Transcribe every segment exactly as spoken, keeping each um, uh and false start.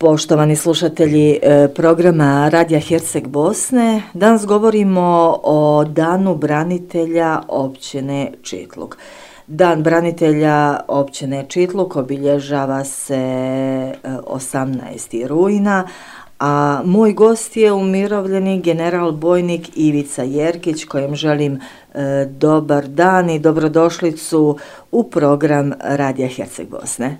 Poštovani slušatelji programa Radija Herceg Bosne, danas govorimo o Danu branitelja općine Čitluk. Dan branitelja općine Čitluk obilježava se osamnaestog rujna, a moj gost je umirovljeni general bojnik Ivica Jerkić, kojem želim e, dobar dan i dobrodošlicu u program Radija Herceg Bosne.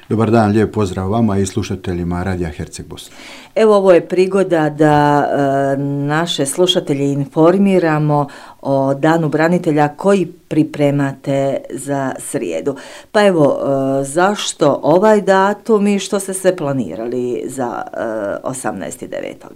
Dobar dan, lijep pozdrav vama i slušateljima Radija Herceg Bosne. Evo, ovo je prigoda da e, naše slušatelje informiramo o Danu branitelja koji pripremate za srijedu. Pa evo, e, zašto ovaj datum i što ste sve planirali za e, osamnaestog devetog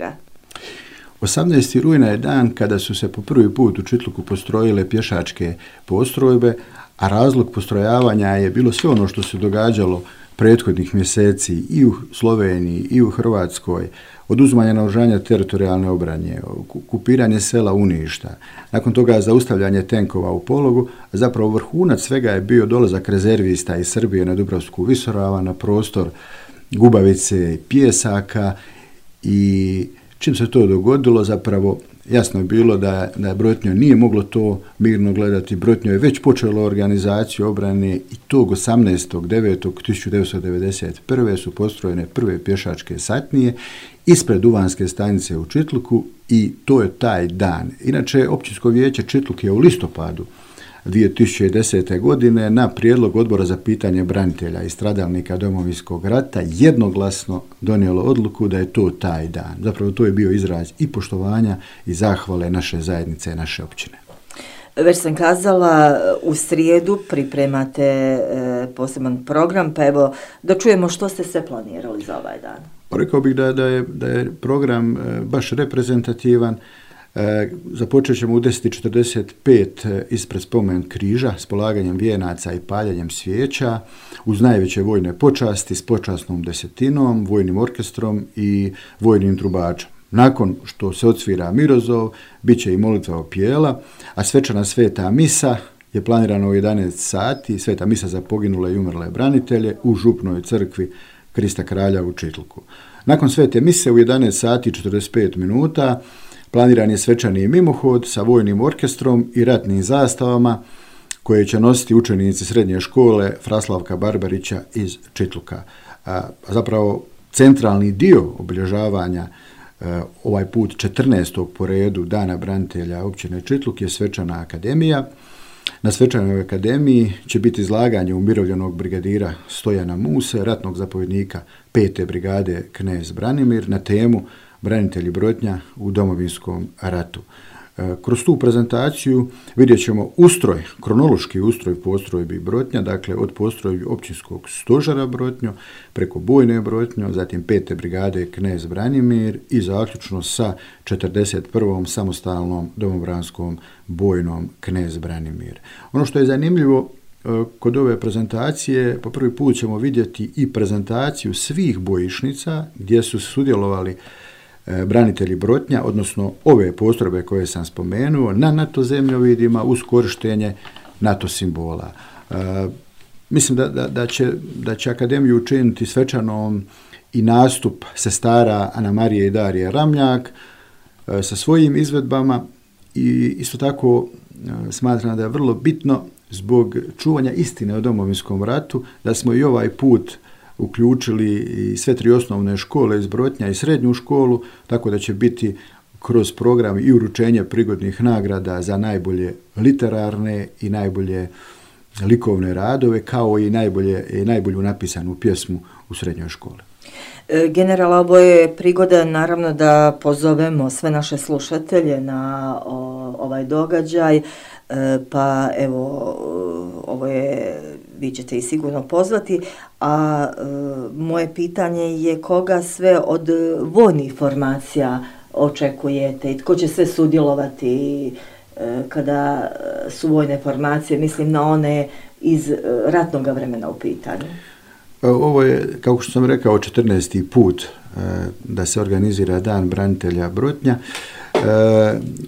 osamnaestog rujna je dan kada su se po prvi put u Čitluku postrojile pješačke postrojbe, a razlog postrojavanja je bilo sve ono što se događalo prethodnih mjeseci i u Sloveniji i u Hrvatskoj, oduzimanje naoružanja teritorijalne obrane, okupiranje sela Uništa, nakon toga zaustavljanje tenkova u Pologu, a zapravo vrhunac svega je bio dolazak rezervista iz Srbije na Dubrovsku visoravan, na prostor Gubavice i Pijesaka, i čim se to dogodilo, zapravo jasno je bilo da, da Brotnjo nije moglo to mirno gledati. Brotnjo je već počelo organizaciju obrane i tog osamnaestog devetog tisuće devetsto devedeset prve su postrojene prve pješačke satnije ispred Duvanske stanice u Čitluku i to je taj dan. Inače, Općinsko vijeće Čitluk je u listopadu dvije tisuće desete. godine na prijedlog Odbora za pitanje branitelja i stradalnika Domovinskog rata jednoglasno donijelo odluku da je to taj dan. Zapravo to je bio izraz i poštovanja i zahvale naše zajednice i naše općine. Već sam kazala, u srijedu pripremate e, poseban program, pa evo da čujemo što ste sve planirali za ovaj dan. Rekao bih da, da, je, da je program e, baš reprezentativan. E, započet ćemo u deset i četrdeset pet ispred spomen križa s polaganjem vijenaca i paljenjem svijeća uz najveće vojne počasti s počasnom desetinom, vojnim orkestrom i vojnim trubačom. Nakon što se odsvira Mirozov, bit će i molitva opijela, a svečana sveta misa je planirana u jedanaest sati, sveta misa za poginule i umrle branitelje u župnoj crkvi Krista Kralja u Čitluku. Nakon svete mise u jedanaest sati i četrdeset pet minuta planiran je svečani mimohod sa vojnim orkestrom i ratnim zastavama koje će nositi učenici srednje škole Fraslavka Barbarića iz Čitluka. A zapravo centralni dio obilježavanja ovaj put četrnaestog po redu Dana branitelja općine Čitluk je svečana akademija. Na svečanoj akademiji će biti izlaganje umirovljenog brigadira Stojana Muse, ratnog zapovjednika pete brigade Knez Branimir na temu branitelji Brotnja u Domovinskom ratu. Kroz tu prezentaciju vidjet ćemo ustroj, kronološki ustroj postrojbi Brotnja, dakle od postrojbi općinskog stožera Brotnjo, preko bojne Brotnjo, zatim pete brigade Knez Branimir i zaključno sa četrdeset prvom samostalnom domobranskom bojnom Knez Branimir. Ono što je zanimljivo kod ove prezentacije, po prvi put ćemo vidjeti i prezentaciju svih bojišnica gdje su sudjelovali branitelji Brotnja, odnosno ove postrojbe koje sam spomenuo, na NATO zemljovidima uz korištenje NATO simbola. E, mislim da, da, da, će, da će akademiju učiniti svečanom i nastup sestara Ana Marije i Darije Ramljak e, sa svojim izvedbama i isto tako e, smatram da je vrlo bitno zbog čuvanja istine o Domovinskom ratu da smo i ovaj put uključili i sve tri osnovne škole iz Brotnja i srednju školu, tako da će biti kroz program i uručenje prigodnih nagrada za najbolje literarne i najbolje likovne radove, kao i, najbolje, i najbolju napisanu pjesmu u srednjoj školi. General, ovo je prigoda naravno da pozovemo sve naše slušatelje na o, ovaj događaj, e, pa evo, ovo je, vi ćete i sigurno pozvati, a e, moje pitanje je koga sve od vojnih formacija očekujete i tko će sve sudjelovati e, kada su vojne formacije, mislim na one iz ratnog vremena u pitanju. Ovo je, kako što sam rekao, četrnaesti put e, da se organizira Dan branitelja Brotnja. E,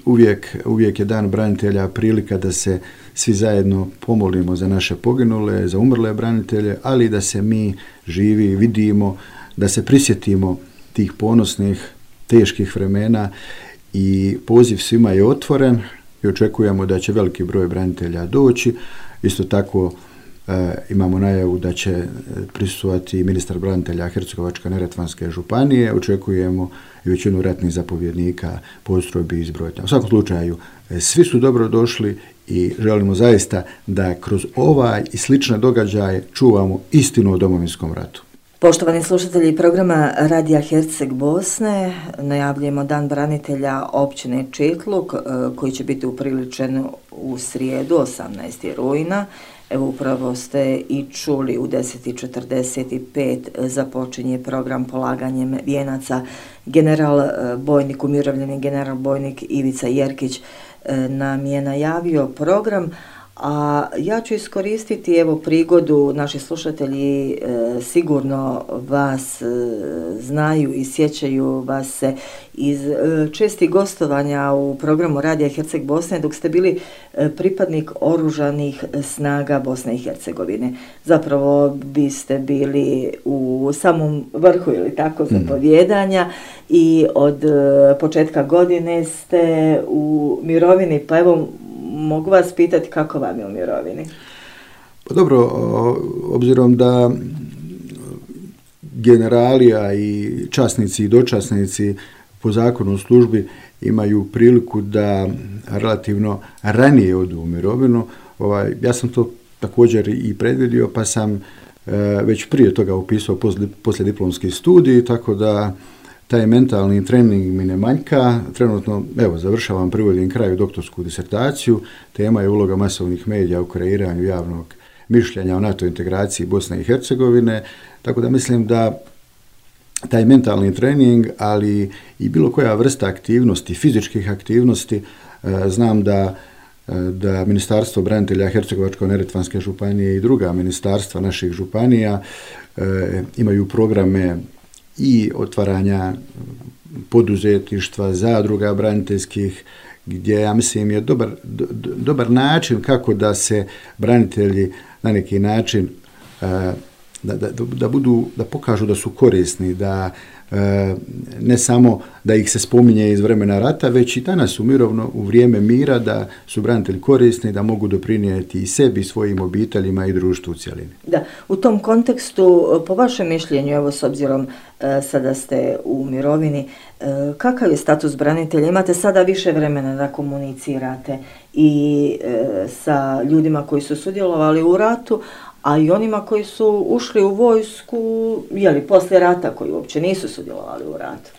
uvijek, uvijek je Dan branitelja prilika da se svi zajedno pomolimo za naše poginule, za umrle branitelje, ali da se mi živi vidimo da se prisjetimo tih ponosnih, teških vremena i poziv svima je otvoren i očekujemo da će veliki broj branitelja doći. Isto tako e, imamo najavu da će prisustvovati ministar branitelja Hercegovačko-neretvanske županije. Očekujemo i većinu ratnih zapovjednika postrojbi iz Brojtnja. U svakom slučaju, e, svi su dobro došli i želimo zaista da kroz ovaj i slične događaje čuvamo istinu o Domovinskom ratu. Poštovani slušatelji programa Radija Herceg Bosne, najavljujemo Dan branitelja općine Čitluk koji će biti upriličen u srijedu osamnaestog rujna. Evo upravo ste i čuli u deset i četrdeset pet započinje program polaganjem vijenaca. General bojnik, umirovljeni general bojnik Ivica Jerkić nam je najavio program, a ja ću iskoristiti evo prigodu, naši slušatelji e, sigurno vas e, znaju i sjećaju vas se iz e, čestih gostovanja u programu Radija Herceg Bosne dok ste bili e, pripadnik oružanih snaga Bosne i Hercegovine. Zapravo biste bili u samom vrhu ili tako zapovjedanja i od e, početka godine ste u mirovini, pa evo mogu vas pitati kako vam je u mirovini? Pa dobro, obzirom da generalija i časnici i dočasnici po zakonu o službi imaju priliku da relativno ranije odu u mirovinu, ovaj, ja sam to također i predvidio, pa sam e, već prije toga upisao poslijediplomski studij, tako da taj mentalni trening mi ne manjka. Trenutno, evo, završavam, privodim kraju doktorsku disertaciju. Tema je uloga masovnih medija u kreiranju javnog mišljenja o NATO integraciji Bosne i Hercegovine. Tako da mislim da taj mentalni trening, ali i bilo koja vrsta aktivnosti, fizičkih aktivnosti, znam da da Ministarstvo branitelja Hercegovačko-neretvanske županije i druga ministarstva naših županija imaju programe i otvaranja poduzetništva, zadruga braniteljskih, gdje ja mislim je dobar, do, dobar način kako da se branitelji na neki način da, da, da budu, da pokažu da su korisni, da ne samo da ih se spominje iz vremena rata, već i danas u mirovno, u vrijeme mira, da su branitelji korisni, da mogu doprinijeti i sebi, svojim obiteljima i društvu u cjelini. Da, u tom kontekstu, po vašem mišljenju, evo s obzirom e, sada ste u mirovini, e, kakav je status branitelja? Imate sada više vremena da komunicirate i e, sa ljudima koji su sudjelovali u ratu, a i onima koji su ušli u vojsku, jeli, poslije rata, koji uopće nisu sudjelovali u ratu.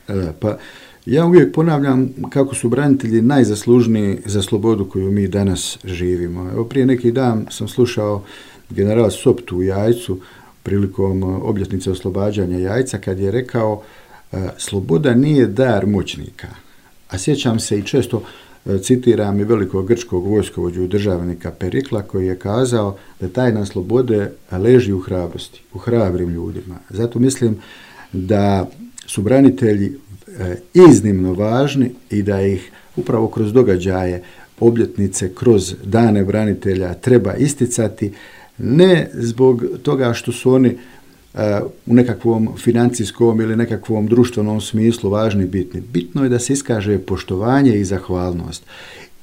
E, pa ja uvijek ponavljam kako su branitelji najzaslužniji za slobodu koju mi danas živimo. Evo, prije neki dan sam slušao generala Soptu u Jajcu prilikom obljetnice oslobađanja Jajca kad je rekao e, sloboda nije dar moćnika. A sjećam se i često citiram i velikog grčkog vojskovođu državnika Perikla koji je kazao da tajna slobode leži u hrabrosti, u hrabrim ljudima. Zato mislim da su branitelji iznimno važni i da ih upravo kroz događaje, obljetnice, kroz dane branitelja treba isticati, ne zbog toga što su oni u nekakvom financijskom ili nekakvom društvenom smislu važni i bitni. Bitno je da se iskaže poštovanje i zahvalnost.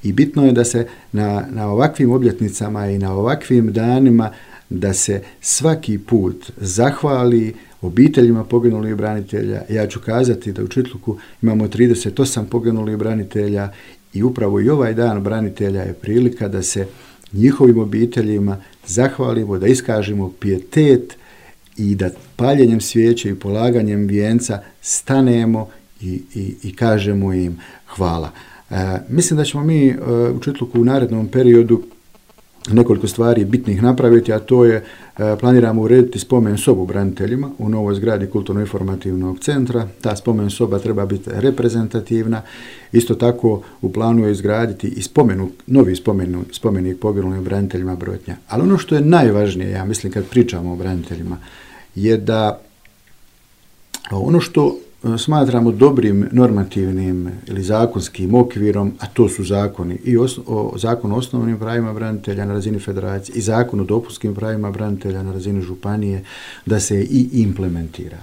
I bitno je da se na, na ovakvim obljetnicama i na ovakvim danima da se svaki put zahvali obiteljima poginulih branitelja. Ja ću kazati da u Čitluku imamo trideset osam poginulih branitelja i upravo i ovaj dan branitelja je prilika da se njihovim obiteljima zahvalimo, da iskažemo pijetet i da paljenjem svijeće i polaganjem vijenca stanemo i, i, i kažemo im hvala. E, mislim da ćemo mi e, u Čitluku u narednom periodu nekoliko stvari bitnih napraviti, a to je e, planiramo urediti spomen sobu braniteljima u novoj zgradi kulturno-informativnog centra. Ta spomen soba treba biti reprezentativna. Isto tako u planu je izgraditi i spomenu, novi spomenu, spomenik poginulim braniteljima Brojtnja. Ali ono što je najvažnije, ja mislim kad pričamo o braniteljima, je da ono što smatramo dobrim normativnim ili zakonskim okvirom, a to su zakoni i os, o, zakon o osnovnim pravima branitelja na razini federacije i zakon o dopunskim pravima branitelja na razini županije, da se i implementira.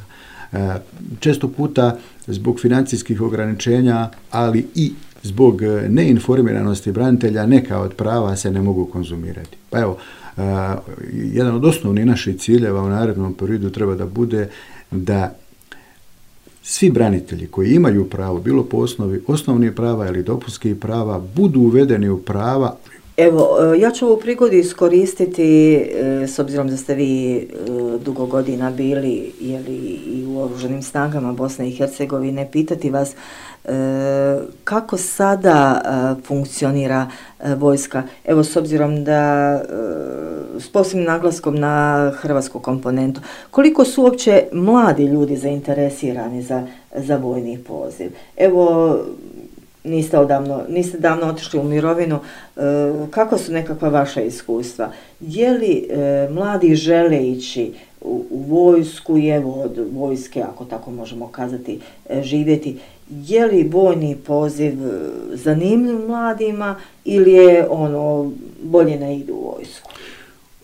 Često puta zbog financijskih ograničenja, ali i zbog neinformiranosti branitelja neka od prava se ne mogu konzumirati. Pa evo, jedan od osnovnih naših ciljeva u narednom periodu treba da bude da svi branitelji koji imaju pravo, bilo po osnovi osnovnih prava ili dopunskih prava, budu uvedeni u prava. Evo, ja ću ovu prigodu iskoristiti, s obzirom da ste vi dugo godina bili jeli, i u Oružanim snagama Bosne i Hercegovine, pitati vas kako sada funkcionira vojska. Evo, s obzirom da s posebnim naglaskom na hrvatsku komponentu, koliko su uopće mladi ljudi zainteresirani za, za vojni poziv? Evo, niste odavno, niste davno otišli u mirovinu, e, kako su nekakva vaša iskustva? Je li e, mladi žele ići u, u vojsku i evo od vojske, ako tako možemo kazati, e, živjeti? Je li vojni poziv zanimljiv mladima ili je ono bolje ne idu u vojsku?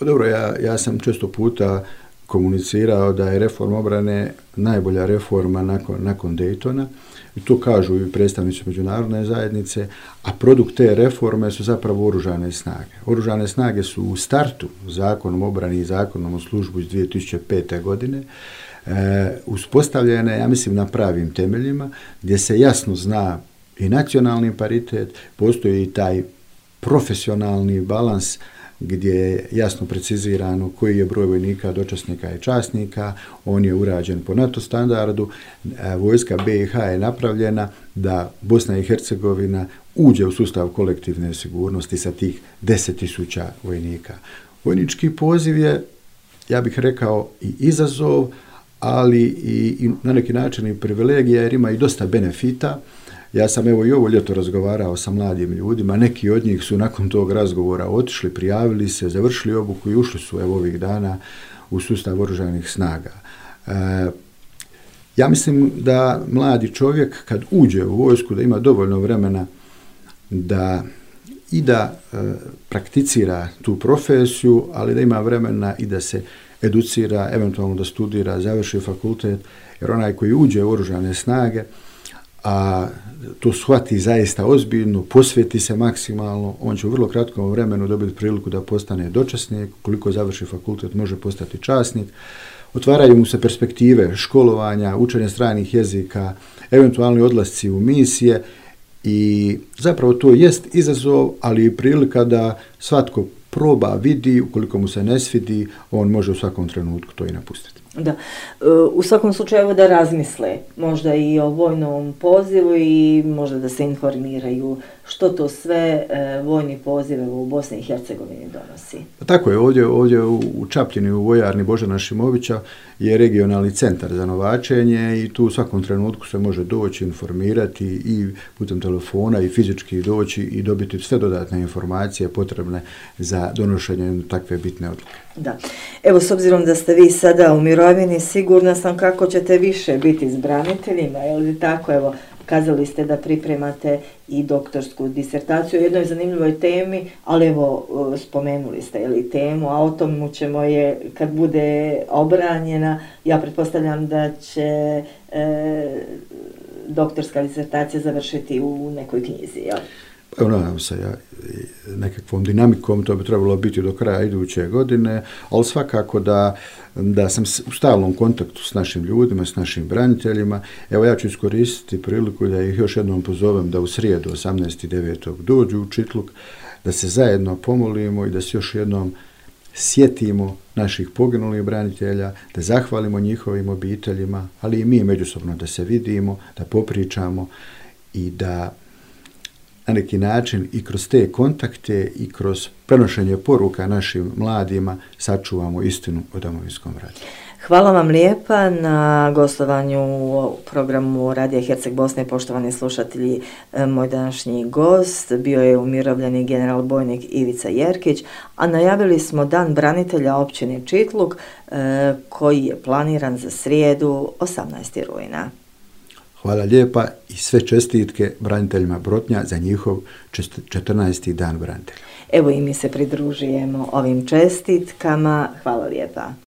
Dobro, ja, ja sam često puta komunicirao da je reforma obrane najbolja reforma nakon, nakon Daytona. I to kažu i predstavnici međunarodne zajednice, a produkt te reforme su zapravo oružane snage. Oružane snage su u startu zakonom o obrani i zakonom o službu iz dvije tisuće pete. godine e, uspostavljene, ja mislim, na pravim temeljima, gdje se jasno zna i nacionalni paritet, postoji i taj profesionalni balans gdje je jasno precizirano koji je broj vojnika, dočasnika i časnika, on je urađen po NATO standardu, vojska B i H je napravljena da Bosna i Hercegovina uđe u sustav kolektivne sigurnosti sa tih deset tisuća vojnika. Vojnički poziv je, ja bih rekao, i izazov, ali i, i na neki način i privilegija, jer ima i dosta benefita. Ja sam evo i ovo ljeto razgovarao sa mladim ljudima, neki od njih su nakon tog razgovora otišli, prijavili se, završili obuku i ušli su evo ovih dana u sustav oružanih snaga. E, ja mislim da mladi čovjek kad uđe u vojsku da ima dovoljno vremena da i da e, prakticira tu profesiju, ali da ima vremena i da se educira, eventualno da studira, završi fakultet, jer onaj koji uđe u oružane snage, a to shvati zaista ozbiljno, posveti se maksimalno, on će u vrlo kratkom vremenu dobiti priliku da postane dočasnik, koliko završi fakultet može postati časnik, otvaraju mu se perspektive školovanja, učenja stranih jezika, eventualni odlasci u misije i zapravo to jest izazov, ali i prilika da svatko proba, vidi, ukoliko mu se ne svidi, on može u svakom trenutku to i napustiti. Da. U svakom slučaju da razmisle možda i o vojnom pozivu i možda da se informiraju što to sve vojni poziv u Bosni i Hercegovini donosi. Pa tako je, ovdje, ovdje u Čapljini, u vojarni Božana Šimovića je regionalni centar za novačenje i tu u svakom trenutku se može doći, informirati i putem telefona i fizički doći i dobiti sve dodatne informacije potrebne za donošenje takve bitne odluke. Da. Evo, s obzirom da ste vi sada u mirovini, sigurna sam kako ćete više biti s braniteljima, je li tako? Evo, kazali ste da pripremate i doktorsku disertaciju o jednoj zanimljivoj temi, ali evo, spomenuli ste je li temu, a o tomu ćemo je, kad bude obranjena, ja pretpostavljam da će e, doktorska disertacija završiti u nekoj knjizi, jel? Evo, nadam se, ja, nekakvom dinamikom, to bi trebalo biti do kraja iduće godine, ali svakako da, da sam u stalnom kontaktu s našim ljudima, s našim braniteljima. Evo, ja ću iskoristiti priliku da ih još jednom pozovem da u srijedu osamnaestog devetog dođu u Čitluk, da se zajedno pomolimo i da se još jednom sjetimo naših poginulih branitelja, da zahvalimo njihovim obiteljima, ali i mi međusobno da se vidimo, da popričamo i da na neki način i kroz te kontakte i kroz prenošenje poruka našim mladima sačuvamo istinu o Domovinskom ratu. Hvala vam lijepa na gostovanju u programu Radija Herceg Bosne. Poštovani slušatelji, moj današnji gost bio je umirovljeni general bojnik Ivica Jerkić, a najavili smo Dan branitelja općine Čitluk koji je planiran za srijedu osamnaestog rujna. Hvala lijepa i sve čestitke braniteljima Brotnja za njihov četrnaesti dan branitelja. Evo i mi se pridružujemo ovim čestitkama. Hvala lijepa.